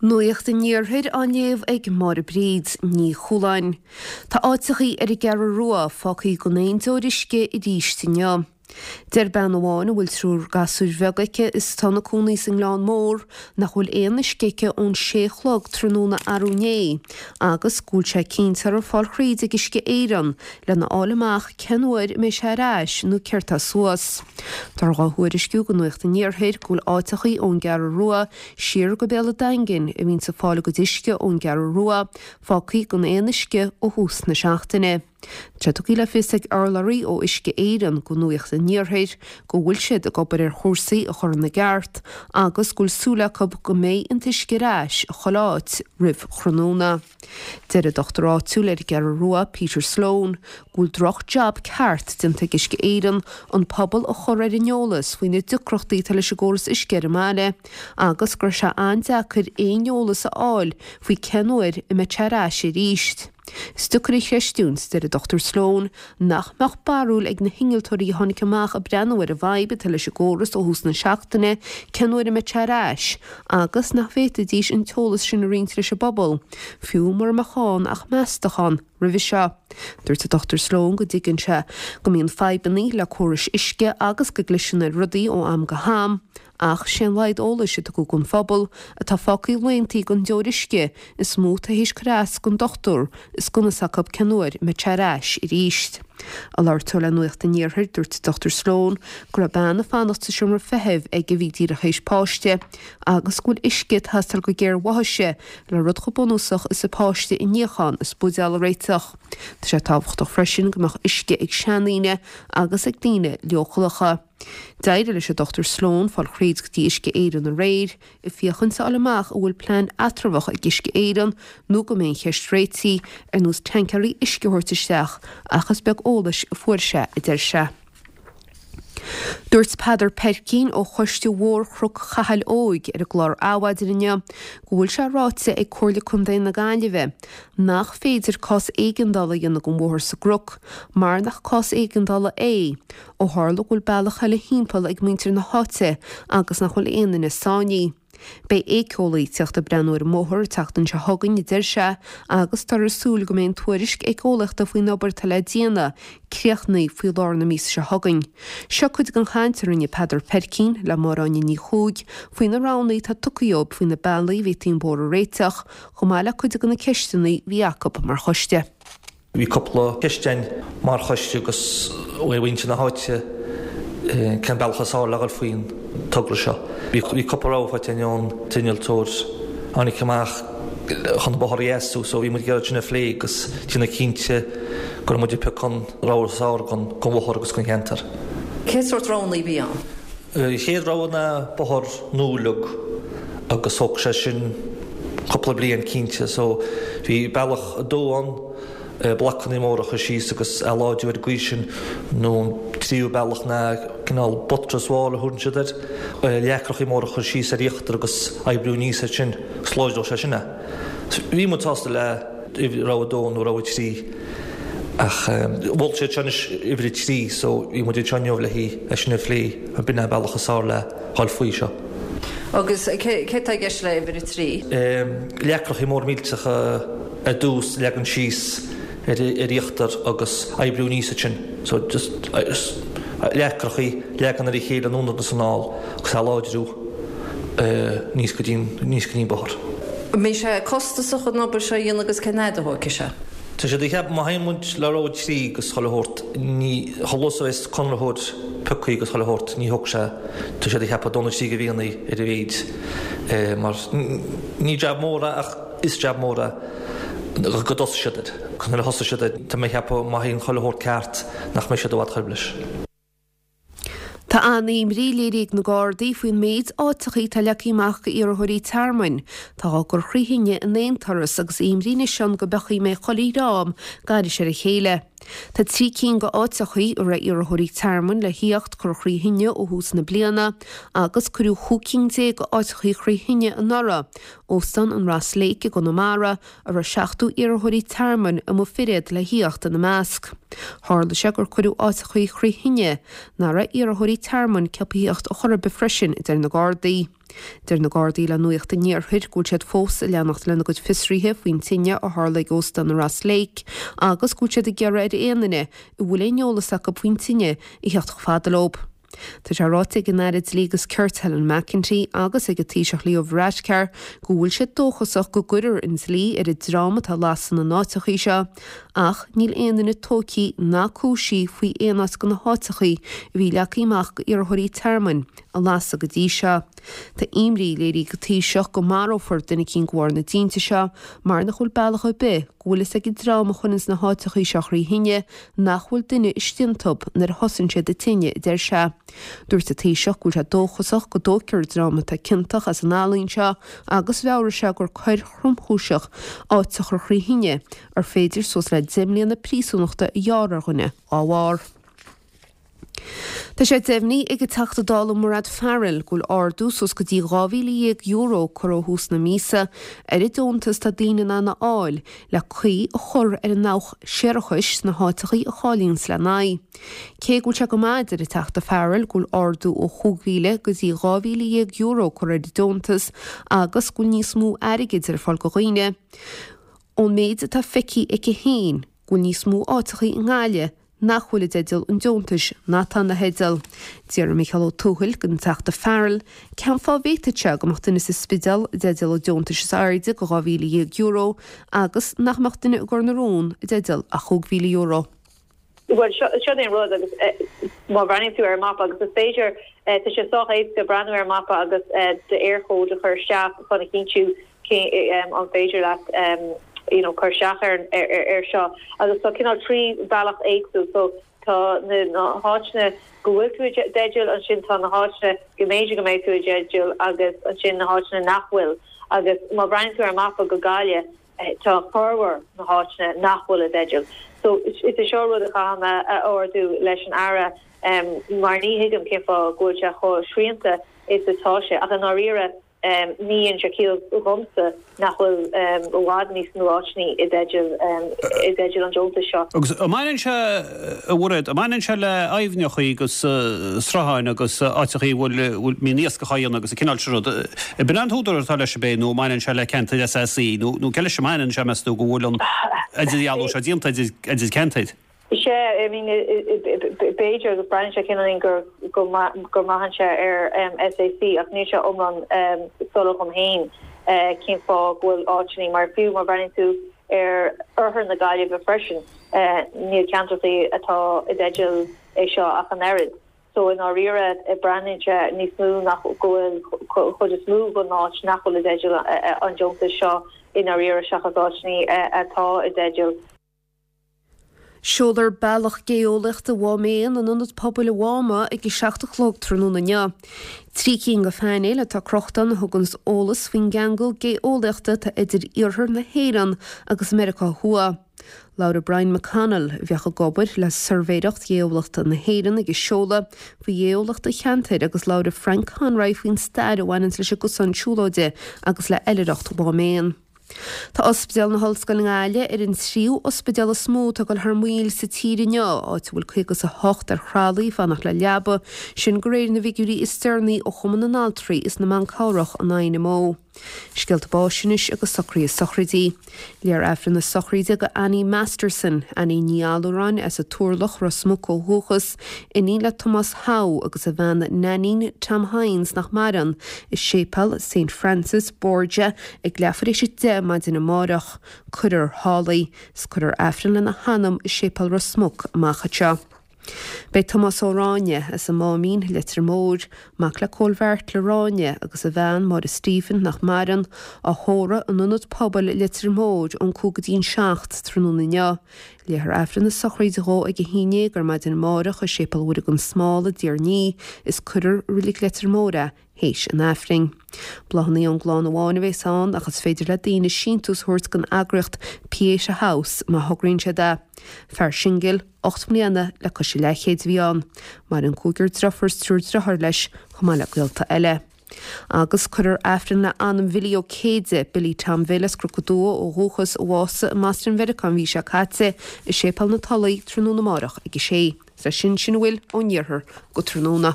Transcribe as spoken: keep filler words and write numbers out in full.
Nuacht an Iarthair á léamh ag Máire Bríd Ní Chualáin. Tá áiteachaí ar an gCeathrú Rua fágtha gan aon deoir uisce arís inniu. Deir bean amháin a bhfuil triúr gasúir bheag aici is atá ina cónaí sa nGleann Mór nach bhfuil aon uisce aici ón sé a chlog tráthnóna arú inné agus go bhfuil sé cinnte uirthi fáil thríd ag Uisce Éireann lena fháil amach cén uair a mbeidh sé ar ais nó céard tá suas. Tá dhá thuairisciú go Nuacht an Iarthair go bhfuil áiteachaí ón gCeathrú Rua siar go Béal an Daingin a bhíonn ag fáil a gcuid uisce ón gCeathrú Rua fágtha gan aon uisce ó thús na seachtaine. Tá tugtha le fios ag urlabhraí ó Uisce Éireann go Nuacht an Iarthair go bhfuil siad ag obair ar chúrsaí a chur ina gceart agus go bhfuil súil acu go mbeidh an t-uisce ar ais chuile áit roimh thráthnóna. Deir an dochtúir áitiúil ar an gCeathrú Rua Peter Sloan go bhfuil droch jab ceart déanta ag Uisce Éireann an pobal a chur ar an eolas faoi na deacrachtaí atá leis an gcóras uisce ar an mbaile agus go raibh sé an-deacair aon eolas a fháil faoi cén uair a mbeidh sé ar ais arís. Is deacair a chreistiúint deir an Dr Sloan nach mbeadh barúil ag na hinnealtóirí a tháinig amach ag breathnú ar an bhfadhb atá leis an gcóras ó thús na seachtaine cén uair a mbeidh sé ar ais agus nach bhféadfaidís an t-eolas sin a roinnt leis an bpobal, fiú mura mbeadh ann ach meastachán roimhe seo. Dúirt an Dr Sloan go dtuigeann sé go mbíonn fadhbanna le córais uisce agus go gcliseann ar rudaí ó am go ham, ach sé an laghad eolais a tugadh don phobal atá fágtha laethanta gan deoir uisce is mó tar éis cur as don dochtúir is gan fhios acu cén uair a mbeidh sé ar ais arís. Ag labhairt dó le Nuacht an Iarthair dúirt Dr Sloan go raibh bean ag fanacht sa seomra feithimh ag a bhí díreach théis páiste agus go bhfuil uisce ag teastáil go géar uaithise le rud chomh bunúsach is a páiste a níochán is buidéal a réiteach. Tá sé tábhachtach freisin go mbeadh uisce ag seandaoine agus ag daoine leochaileacha. D'éirigh leis an Dr Sloan fáil thríd go dtí Uisce Éireann aréir, ag féachaint a fháil amach an bhfuil plean eatramhach ag Uisce Éireann nó go mbeidh an cheist réitithe ar nós tancaeirí uisce a thabhairt isteach ach is beag eolais a fuair sé a deir sé. Dúirt Peadar Peircín ó Choiste Mhór Chnoc Chathail Óig ar an gclár Adhmhaidin inniu go bhfuil sé ráite ag Comhairle Contae na Gaillimhe nach féidir cás éigeandála a dhéanamh den bhóthar sa gCnoc mar nach cás éigeandála é ó tharla go bhfuil bealach eile thimpeall ag muintir na háite agus nach bhfuil aon duine sáinnithe. Beidh éiceolaí ag teacht ag breathnú ar an mbóthar an tseachtain seo chugainn a deir sé agus táthar ag súil go mbeidh an tuairisc éiceolaíochta faoin obair atá le déanamh críochnaithe faoi lár na míosa seo chugainn. Seo cuid den chaint a rinne Peadar Peircín le Máire Áine Ní Chuaig faoi na roghanna atá tugtha dóibh faoi na bealaí a bhféadfaí an bóthar a réiteach, chomh maith le cuid de na ceisteanna a bhí acu mar choiste. Bhí cúpla ceist againn mar choiste agus ó mhuintir na háite cén bealach is fearr le dhul faoin togra seo. Bhí cúpla rogha faighte againn ón t-innealtóir a tháinig amach chun an bóthar a dheisiú so bhí muid ag iarraidh sin a phlé agus déanamh cinnte go raibh muid ag piocadh an rogha is fearr don bhóthar agus don cheantar. Cén sórt roghanna a bhí ann? An chéad rogha ná bóthar nua uilig agus thóg sé sin cúpla bliain cinnte so bhí bealach a dó ann, blocanna móra a chur síos agus a láidriú ar an gcaoi sin nó an tríú bealach ná cineál buttress wall a thugann siad air, leacrachaí móra a chur síos ar íochtar agus oibriú aníos air sin agus láidreodh sé sin é. Bhí muid sásta le rogha a dó nó rogha a trí ach mhol siad seo anois uimhir a trí so bhí muid anseo inniu le é sin a phlé an b'in an bealach is fearr le dhul faoi seo. Agus cé tá i gceist le uimhir a trí? Leacrachaí mór millteacha ar dtús leagan síos ar ar íochtar agus oibriú aníos ansin. So just leacrachaí leagan ar a chéile anonn agus anall agus a láidriú aníos go dtí aníos go dtí an bóthar. An mbeidh sé costasach an obair seo a dhéanamh agus cén fhad a thógfaidh sé? Tá siad ag ceapadh má théann muid le rogha trí agus chuile shórt ní chomh luath is a bheas conraitheoir pioctha agus chuile shórt ní thógfaidh sé tá siad ag ceapadh dó nó trí de mhíonna ar a mhéid mar ní jab mór é ach is jab mór é go dtosaigh siad air. Nuair a thosaigh siad air tá mé ag ceapadh má théann chuile shórt ceart nach mbeidh siad i bhfad chor ar bith leis. Tá an-imní léirithe ag na Gardaí faoin méid áiteachaí atá leagtha amach go iarrthóirí tearmainn. Tá á gcur trí thine in aon turas agus imní anois ann go bpeachaí mbeidh chuile dhream gairis ar a chéile. Tá trí cinn go áiteachaí a raibh iarrthóirí tearmainn le thíocht curtha trí thine ó thús na bliana agus cuireadh chúig cinn déag go áiteachaí trí thine anuraidh, Óstán an Ross Lake i gConamara, a raibh seachtó iarrthóirí tearmainn amuigh firéad le thíocht ina measc. Tharla sé gur cuireadh áiteachaí trí thine nach raibh iarrthóirí tearmainn ceaptha thíocht a chor ar bith freisin, a deir na Gardaí. Deir na Gardaí le Nuacht an Iarthair go bhfuil siad fós ag leanacht lena gcuid fiosruithe faoin tine a tharla ag Óstán Ross Lake agus go bhfuil siad ag iarraidh ar aon duine a bhfuil aon eolas acu faoin tine a theacht chomh fada leo. Tá sé ráite ag an Aire Dlí agus Cirt Helen McEntee agus ag an Taoiseach Leo Varadkar go bhfuil siad dóchasach go gcuirfear an dlí ar an dream atá ag lasadh na n-áiteachaí seo, ach níl aon duine tógtha ná cúisithe faoi aon áit de na háiteachaí a bhí leagtha amach d'iarrthóirí tearmainn a lasadh go dtí seo. Tá imní léirithe ag an Taoiseach go marófar duine eicínt de bharr na dtinte seo mar nach bhfuil bealach ar bith go bhfuil fhios ag an dream a chuireanns na háiteachaí seo thrí thine nach bhfuil duine istigh iontu nuair a thosaíonn siad an tine, a deir sé. Dúirt an Taoiseach go bhfuil sé dóchasach go dtógfar an dream atá ciontach as an fhaillí seo agus mheabhraigh sé gur coir thromchúiseach áit a chur thrí thine ar féidir suas le deich mbliana príosúnachta a ghearradh ar dhuine dá bharr. Tá sé deimhnithe ag an Teachta Dála Mairéad Farrell go bhfuil ardú suas go dtí dhá mhíle dhéag euro curtha ó thús na míosa ar an deontas atá daoine in ann a fháil le caoi a chur ar an ndabhach séarachais sna háiteachaí a cháilíonns lena aghaidh. Cé go bhfuil sé go maith, a deir an Teachta Farrell, go bhfuil ardú ó chúig mhíle go dtí dhá mhíle dhéag euro curtha ar an deontas agus go bhfuil níos mó airgid ar fáil do dhaoine, ón méid atá feicthe aici féin, go bhfuil níos mó áiteachaí i nGaillimh nach bhfuil i dteideal an deontais ná atá ina theideal. D'fhiafraigh Micheál Ó Tuathail den Teachta Farrell cén fáth a bhféadfadh sé go mbeadh duine sa Spidéal i dteideal an deontais is airde de dhá mhíle dhéag euro agus nach mbeadh duine i gCor na Rón i dteideal ach chúig mhíle euro. Bhuel, seo é an rud agus má bhreathnaíonn tú ar an mapa agus is féidir, tá sé sách éasca breathnú ar an mapa agus d'Eircode a chur isteach chun a chinntiú cé an féidir leat you know cur isteach ar ar seo agus tá cineál trí bhealach éagsúil so tá na háiteanna go bhfuil tú i dteideal ansin tá na háiteanna go mb'fhéidir go mbeidh tú i dteideal agus ansin na háiteanna nach bhfuil agus má bhreathnaíonn tú ar an mapa go Gaillimh tá formhór na háiteanna nach bhfuil i dteideal so is é seo rud a chaithfidh mé a ardú leis an Aire mar ní thuigim cén fáth go bhfuil sé chomh srianta is atá sé ach i ndáiríre Ní dhéanann sé ciall dhomsa nach bhfuil i bhfad níos mó áiteanna i dteideal i dteideal an deontais seo. Agus an mbaineann sé, a Mhairéad, an mbaineann sé le aibhneachaí agus srutháin agus áiteachaí a bhfuil, bhfuil, mbíonn iascach á dhéanamh agus an cineál sin rud. Ab in an t-údar atá leis ab é nó an mbaineann sé le ceantair SAC nó nó cé leis a mbaineann sé meas tú go bhfuil an idirdhealú seo déanta idir idir ceantair? Sea, I mean, b'fhéidir agus breathnaíonn sé cineáilín gur go mbraitheann sé ar SAC ach níl sé iomlán soiléir dhom féin cén fáth go bhfuil áiteanna mar fiú má bhreathnaíonn tú ar oirthear na Gaillimhe freisin níl ceantrachaí atá i dteideal é seo ach an oiread. So i ndáiríre breathnaíonn sé níos mó nach go bhfuil chuid is mó den áit nach bhfuil i dteideal an deontais seo i ndáiríre seachas áiteanna atá i dteideal. Seolfar Bealach Gé-eolaíochta Mhám Éan in Ionad Pobail an Mháma ag a seacht a chlog tráthnóna inniu. Trí cinn de phainéil atá crochta ann a thuganns eolas faoin gceangal gé-eolaíochta atá idir iarthar na hÉireann agus Meiriceá Thuaidh. Labhróidh Brian McConnell, a bheadh ag obair le Suirbhéireacht Ghéeolaíochta na hÉireann ag an seoladh, faoi ghéeolaíocht an cheantair agus labhróidh Frank Conroy faoin stair a bhaineanns leis an gcosán siúlóide agus le hoilithreacht Mhám Éan. Tá Ospidéal na hOllscoile i nGaillimh ar an tríú ospidéal is mó atá ag dul thar maoil sa tír inniu, áit a bhfuil caoga is a hocht ar thralaí ag fanacht le leaba, sin de réir na bhfigiúirí is deireanaí ó Chumann na nAltraí is na mBan Cabhrach, an INMO. Scéalta báis anois agus socruithe sochraidí. Léifear Aifreann na sochraide do Annie Masterson, Annie Ní Allúráin as an Turlach, Ros Muc ó dhúchas, iníon le Tomás Howe agus a bhean Nainín Tom Hynes nach maireann, i Séipéal Saint Francis Borgia ag leathuair éis a deich maidin amárach. Cuirfear thall í, 's cuirfear Aifreann lena hanam i Séipéal Ros Muc amach anseo. Beidh Tomás Ó Ráinne, as an Máimín, Leitir Móir, mac le Cóil Bheairtle Ráinne agus a bhean, Máire Stephen, nach maireann, á thórramh in Ionad Pobail Leitir Móir ón cúig go dtí an seacht tráthnóna inniu. Léifear Aifreann na sochraide dhó ag a haon déag ar maidin amárach i Séipéal Mhuire gan Smál i dTír an Fhia is cuirfear i Reilig Leitir Móir é théis an Aifrinn. Bláthanna ón gclann amháin a bheas ann ach is féidir le daoine síntiús a thabhairt don eagraíocht Pieta House má thograíonn siad é. Fear singil, ocht mbliana le cois a leathchéid a bhí ann. Maireann cúigear driofúr is triúr driotháir leis chomh maith le gaolta eile. Agus cuirfear Aifreann le anam Bhilly Ó Céide, Billy Tom Bhill as Cnoc an Dúa ó dhúchas, a bhásaigh i mBoston Mheiriceá an mhí seo caite, i Séipéal na Tulaí tráthnóna amárach ag a sé. Is leis sin sin a bhfuil ón iarthar go tráthnóna.